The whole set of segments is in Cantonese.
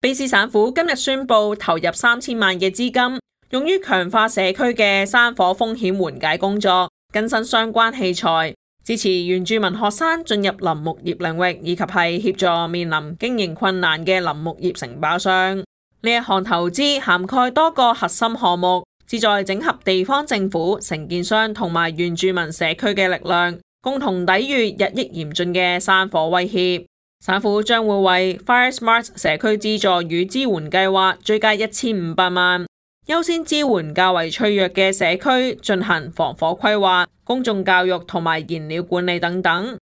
卑詩省府今日宣布投入3000萬嘅資金，用於強化社區嘅山火風險緩解工作，更新相關器材，支持原住民學生進入林木業領域，以及係協助面臨經營困難嘅林木業承包商。呢一項投資涵蓋多個核心項目，旨在整合地方政府、承建商同埋原住民社區嘅力量，共同抵禦日益嚴峻嘅山火威脅。省府將會為 Fire Smart 社區資助與支援計劃追加1500萬，優先支援較為脆弱嘅社區進行防火規劃、公眾教育同埋燃料管理等等。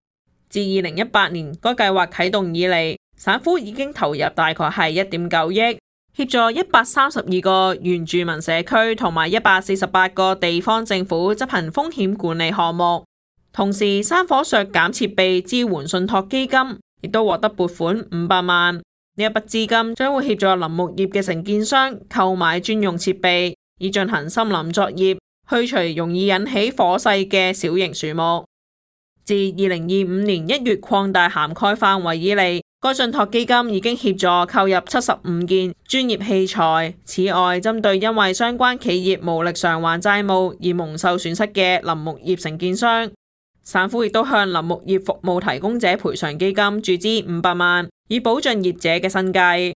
自2018年該計劃啟動以嚟，省府已經投入大概係1.9億，協助132個原住民社區同埋148個地方政府執行風險管理項目。同時，山火削減設備支援信託基金亦都獲得撥款500萬，呢一筆資金將會協助林木業嘅承建商購買專用設備，以進行森林作業，去除容易引起火勢嘅小型樹木。自2025年1月擴大涵蓋範圍以嚟，該信託基金已經協助購入75件專業器材。此外，針對因為相關企業無力償還債務而蒙受損失嘅林木業承建商，省府亦都向林木業服務提供者賠償基金注資500萬，以保障業者嘅生計。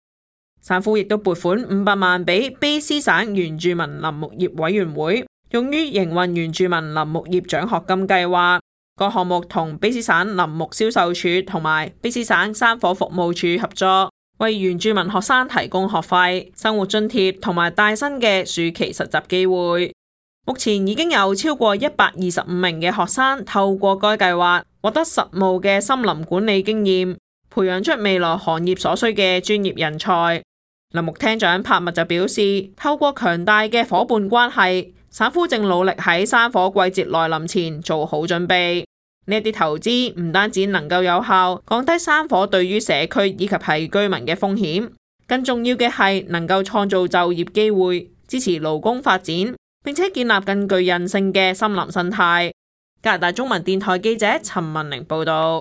省府亦都撥款500萬俾卑詩省原住民林木業委員會，用於營運原住民林木業獎學金計劃。個項目同卑詩省林木銷售處同埋卑詩省山火服務處合作，為原住民學生提供學費、生活津貼同埋帶薪嘅暑期實習機會。目前已經有超過125名嘅學生透過該計劃獲得實務嘅森林管理經驗，培養出未來行業所需嘅專業人才。林木廳長柏密就表示，透過強大嘅夥伴關係，省府正努力喺山火季節來臨前做好準備。呢啲投資唔單止能夠有效降低山火對於社區以及係居民嘅風險，更重要嘅係能夠創造就業機會，支持勞工發展，並且建立更具韌性嘅森林生態。加拿大中文電台記者陳文玲報道。